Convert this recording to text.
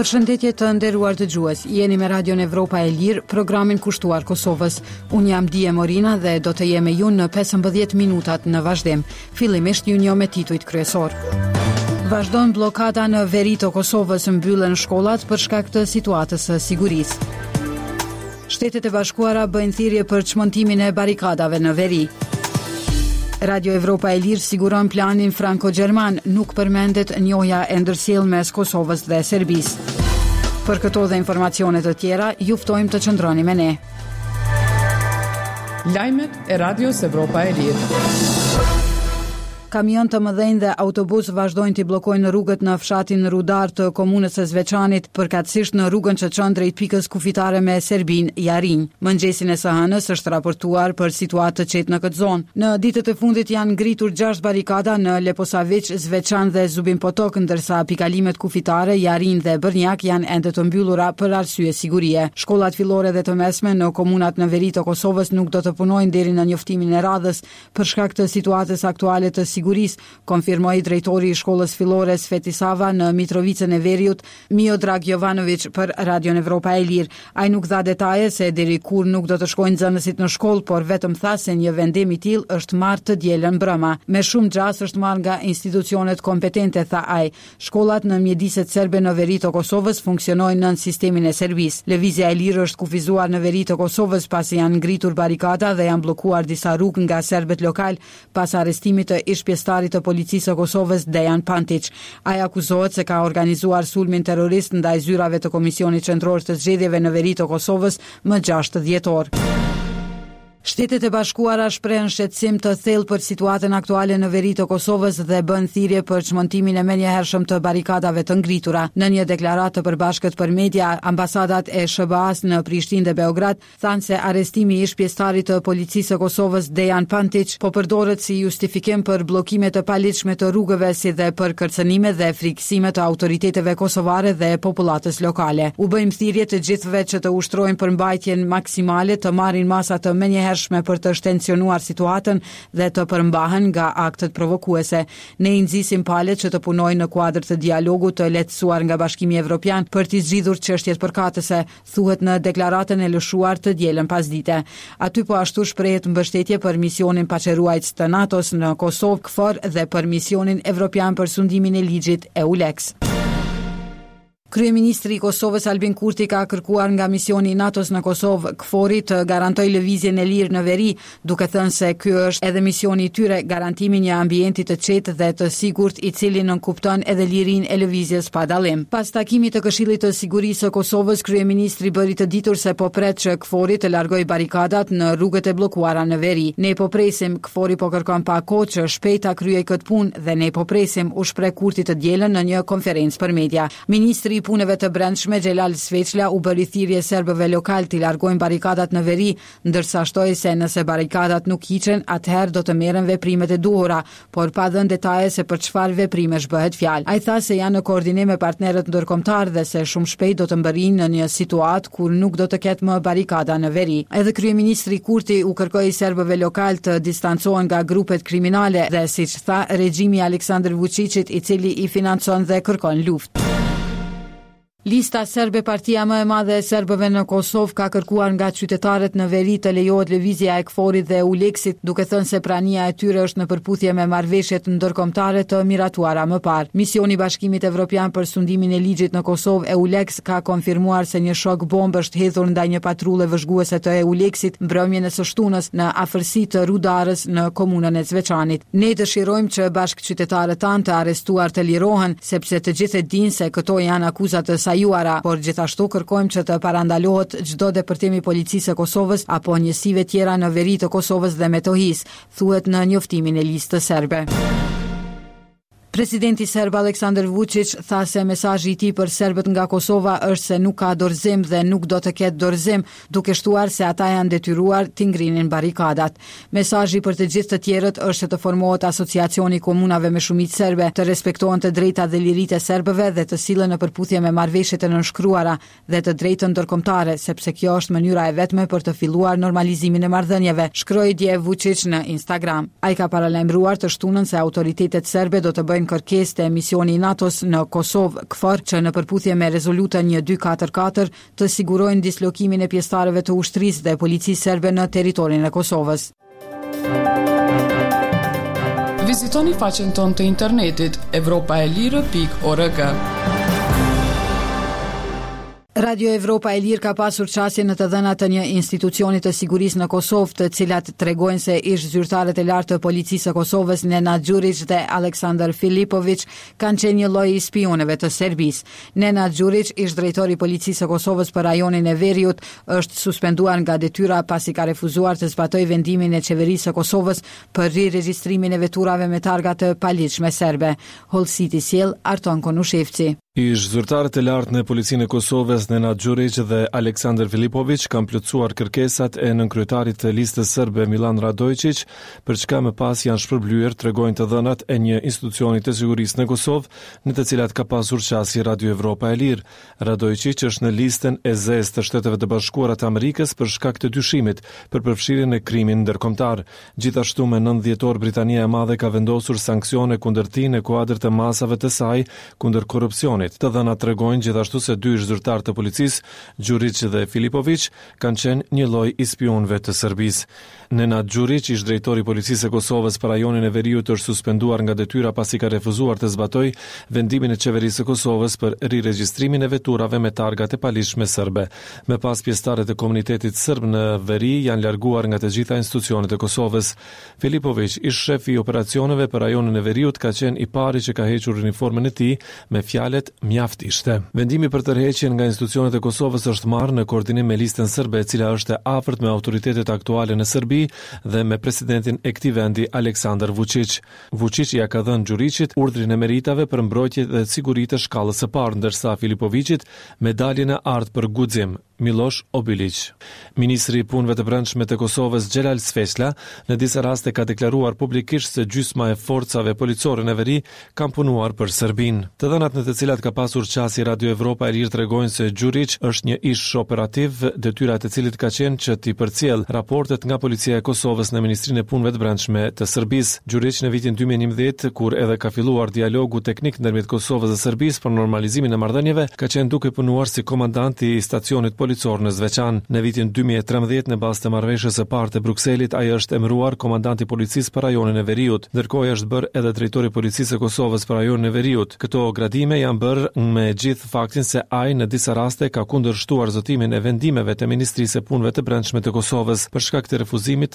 Përshëndetje të nderuar dëgjues, jeni me Radion Evropa e Lirë, programin kushtuar Kosovës. Unë jam Dije Morina dhe do të jem me ju në 15 minutat në vazhdim. Fillimisht ju njoh me titujt kryesorë. Vazhdon bllokada në veri të Kosovës, mbyllen shkollat për shkak të situatës së sigurisë. Shtetet e Bashkuara bëjnë thirrje për çmontimin e barrikadave në veri. Radio Evropa e Lirë siguron planin franko-gjerman, nuk përmendet njohja e ndërsjellë mes Kosovës dhe Serbisë. Për këto dhe informacione të tjera, ju ftojmë të qëndroni me ne. Lajmet e Radios Evropa e Lirë. Kamionë të mëdhenj dhe autobusë vazhdojnë t'i bllokojnë rrugët në fshatin Rudar të komunës së Zveçanit, përkatësisht në rrugën që çon drejt pikës kufitare me Serbinë, Jarinjë. Mëngjesin e së hënës është raportuar për situatë të qetë në këtë zonë. Në ditët e fundit janë ngritur gjashtë barrikada në Leposaviq, Zveçan dhe Zubin Potok, ndërsa pikalimet kufitare Jarinjë dhe Bërnjak janë ende të mbyllura për arsye sigurie. Shkollat fillore dhe të mesme në komunat në veri të Kosovës nuk do të punojnë deri në njoftimin e radhës, Për shkak të situatës aktuale të sigurisë, konfirmoi drejtori i shkollës fillore Sveti Sava në Mitrovicën e Veriut, Miodrag Jovanoviq për Radion Evropa e Lirë. Ai nuk dha detaje se deri kur nuk do të shkojnë nxënësit në shkollë, por vetëm tha se një vendim i tillë është marrë të dielën mbrëma. Me shumë gjasë është marrë nga institucionet kompetente, tha ai. Shkollat në mjediset serbe në veri të Kosovës funksionojnë nën sistemin e Serbisë. Lëvizja e lirë është kufizuar në veri të Kosovës pasi janë ngritur barrikada dhe janë bllokuar disa rrugë nga serbët lokalë pas arrestimit të ish-pjesëtarit të Policisë së Kosovës, Dejan Pantiq. Ai akuzohet se ka organizuar sulmin terrorist ndaj zyrave të Komisionit Qendror të Zgjedhjeve në veri të Kosovës më 6 dhjetor. Shtetet e Bashkuara shprehën shqetësim të thellë për situatën aktuale në veri të Kosovës dhe bënë thirrje për çmontimin e menjëhershëm të barrikadave të ngritura. Në një deklaratë të përbashkët për media, ambasadat e SHBA-së në Prishtinë dhe Beograd thanë se arrestimi i ish-pjesëtarit të Policisë së Kosovës, Dejan Pantiq, po përdoret si justifikim për bllokime të paligjshme të rrugëve si dhe për kërcënime dhe frikësime të autoriteteve kosovare dhe popullatës lokale. U bëjmë thirrje të gjithëve që të ushtrojnë përmbajtjen maksimale, të marrin masa të menjëhershme për të shtensionuar situatën dhe të përmbahen nga aktet provokuese. Ne i nxisim palët që të punojnë në kuadër të dialogut të lehtësuar nga Bashkimi Evropian për t'i zgjidhur çështjet përkatëse, thuhet në deklaratën e lëshuar të dielën pasdite. Aty po ashtu shprehet mbështetje për misionin paqeruajtës të NATO-s në Kosovë, KFOR dhe për misionin evropian për sundimin e ligjit, EULEX. Kryeministri i Kosovës Albin Kurti ka kërkuar nga misioni i NATO-s në Kosovë, KFOR-i, të garantojë lëvizjen e lirë në veri, duke thënë se ky është edhe misioni i tyre, garantimi i një ambienti të qetë dhe të sigurt i cili nënkupton edhe lirinë e lëvizjes pa dallim. Pas takimit të Këshillit të Sigurisë së Kosovës, kryeministri bëri të ditur se po pret që KFOR-i të largojë barrikadat në rrugët e bllokuara në veri. Ne po presim, KFOR-i po kërkon pak kohë që shpejt ta kryejë këtë punë dhe ne po presim, u shpreh Kurti të dielën në një konferencë për media. Ministri i Punëve të Brendshme, Xhelal Sveçla, u bëri thirrje serbëve lokalë t'i largojnë barrikadat në veri, ndërsa shtoi se nëse barrikadat nuk hiqen, atëherë do të merren veprimet e duhura, por pa dhënë detaje se për çfarë veprimesh bëhet fjalë. Ai tha se janë në koordinim me partnerët ndërkombëtarë dhe se shumë shpejt do të mbërrijnë në një situatë kur nuk do të ketë më barrikada në veri. Edhe kryeministri Kurti u kërkoi serbëve lokalë të distancohen nga grupet kriminale dhe, siç tha, regjimi i Aleksandër Vuçiqit i cili i financon dhe kërkon luftë. Lista Serbe, partia më e madhe e serbëve në Kosovë, ka kërkuar nga qytetarët në veri të lejohet lëvizja e KFOR-it dhe EULEX-it, duke thënë se prania e tyre është në përputhje me marrëveshjet ndërkombëtare të miratuara më parë. Misioni i Bashkimit Evropian për Sundimin e Ligjit në Kosovë, EULEX, ka konfirmuar se një shok bombë është hedhur ndaj një patrulle vëzhguese të EULEX-it mbrëmjen e së shtunës në afërsi të Rudarës në komunën e Zveçanit. Ne dëshirojmë që bashkëqytetarët tanë të arrestuar të lirohen, sepse të gjithë e dinë se këto janë akuza të sajuara, por gjithashtu kërkojmë që të parandalohet çdo depërtim i Policisë së Kosovës apo njësive tjera në veri të Kosovës dhe Metohisë, thuhet në njoftimin e Listës Serbe. Presidenti serb Aleksandar Vuçiq tha se mesazhi i tij për serbët nga Kosova është se nuk ka dorëzim dhe nuk do të ketë dorëzim, duke shtuar se ata janë detyruar t'i ngrinin barrikadat. Mesazhi për të gjithë të tjerët është që të formohet Asociacioni i Komunave me shumicë serbe, të respektohen të drejtat dhe liritë e serbëve dhe të sillen në përputhje me marrëveshjet e nënshkruara dhe të drejtën ndërkombëtare, sepse kjo është mënyra e vetme për të filluar normalizimin e marrëdhënieve, shkroi dje Vuçiq në Instagram. Ai ka paralajmëruar të shtunën se autoritetet serbe do të bëjnë. bëjnë kërkesë te misioni i NATO-s në Kosovë, KFOR, që në përputhje me Rezolutën 1244 të sigurojnë dislokimin e pjesëtarëve të ushtrisë dhe policisë serbe në territorin e Kosovës. Vizitoni faqen tonë të internetit evropaelire.org. Radio Evropa e Lirë ka pasur qasje në të dhëna të një institucioni të sigurisë në Kosovë, të cilat tregojnë se ish-zyrtarët e lartë të Policisë së Kosovës, Nenad Gjuriq dhe Aleksandar Filipoviq, kanë qenë një lloj i spiunëve të Serbisë. Nenad Gjuriq, ish-drejtor i Policisë së Kosovës për rajonin e Veriut, është suspenduar nga detyra pasi ka refuzuar të zbatojë vendimin e Qeverisë së Kosovës për riregjistrimin e veturave me targa të paligjshme serbe. Hollësitë i sjell Arton Konushevci. Ish-zyrtarët e lartë në Policinë e Kosovës, Nenad Gjuriq dhe Aleksandar Filipoviq kanë plotësuar kërkesat e nënkryetarit të Listës Serbe Millan Radoiçiq, për çka më pas janë shpërblyer, tregojnë të dhënat e një institucioni të sigurisë në Kosovë, në të cilat ka pasur qasje Radio Evropa e Lirë. Radoiçiq është në listën e zezë të Shteteve të Bashkuara të Amerikës për shkak të dyshimit për përfshirje në krimin ndërkombëtar. Gjithashtu, më 9 dhjetor Britania e Madhe ka vendosur sanksione kundër tij në kuadër të masave të saj kundër korrupsionit. Të dhënat tregojnë gjithashtu se dy ish-zyrtarë të policisë, Gjuriq dhe Filipoviq, kanë qenë një lloj i spiunëve të Serbisë. Nenad Gjuriq, ish-drejtor i Policisë së Kosovës për rajonin e Veriut është suspenduar nga detyra pasi ka refuzuar të zbatojë vendimin e Qeverisë së Kosovës për riregjistrimin e veturave me targa të paligjshme serbe. Më pas pjesëtarët e komunitetit serb në veri janë larguar nga të gjitha institucionet e Kosovës. Filipoviq, ish-shefi i operacioneve për rajonin e veriut, ka qenë i pari që ka hequr uniformën e tij me fjalët mjaft ishte. Vendimi për tërheqjen nga institucionet e Kosovës është marrë në koordinim me Listën Serbe, e cila është e afërt me autoritetet aktuale në Serbi dhe me presidentin e këtij vendi, Aleksandar Vuçiq. Vuçiq ia ka dhënë Gjuriqit urdhrin e meritave për mbrojtje dhe siguri të shkallës së parë, ndërsa Filipoviqit medaljen e artë për guxim. Millosh Obiliq. Ministri i Punëve të Brendshme të Kosovës, Xhelal Sveçla, në disa raste ka deklaruar publikisht se gjysma e forcave policore në veri kanë punuar për Serbinë. Të dhënat në të cilat ka pasur qasje Radio Evropa e Lirë tregojnë se Gjuriq është një ish-operativ, detyra e të cilit ka qenë që t'i përcjellë raportet nga Policia e Kosovës në Ministrinë e Punëve të Brendshme të Serbisë. Gjuriq në vitin 2011, kur edhe ka filluar dialogu teknik ndërmjet Kosovës dhe Serbisë për normalizimin e marrëdhënieve, ka qenë duke punuar si komandant i stacionit policor në Zveçan. Në vitin 2013, në bazë të marrëveshjes së parë të Brukselit, ai është emëruar komandant i policisë për rajonin e Veriut. Ndërkohë ai është bërë edhe drejtor i Policisë së Kosovës për rajonin e Veriut. Këto gradime janë bërë me gjithë faktin se ai në disa raste ka kundërshtuar zotimin e vendimeve të Ministrisë së Punëve të Brendshme të Kosovës për shkak të refuzimit.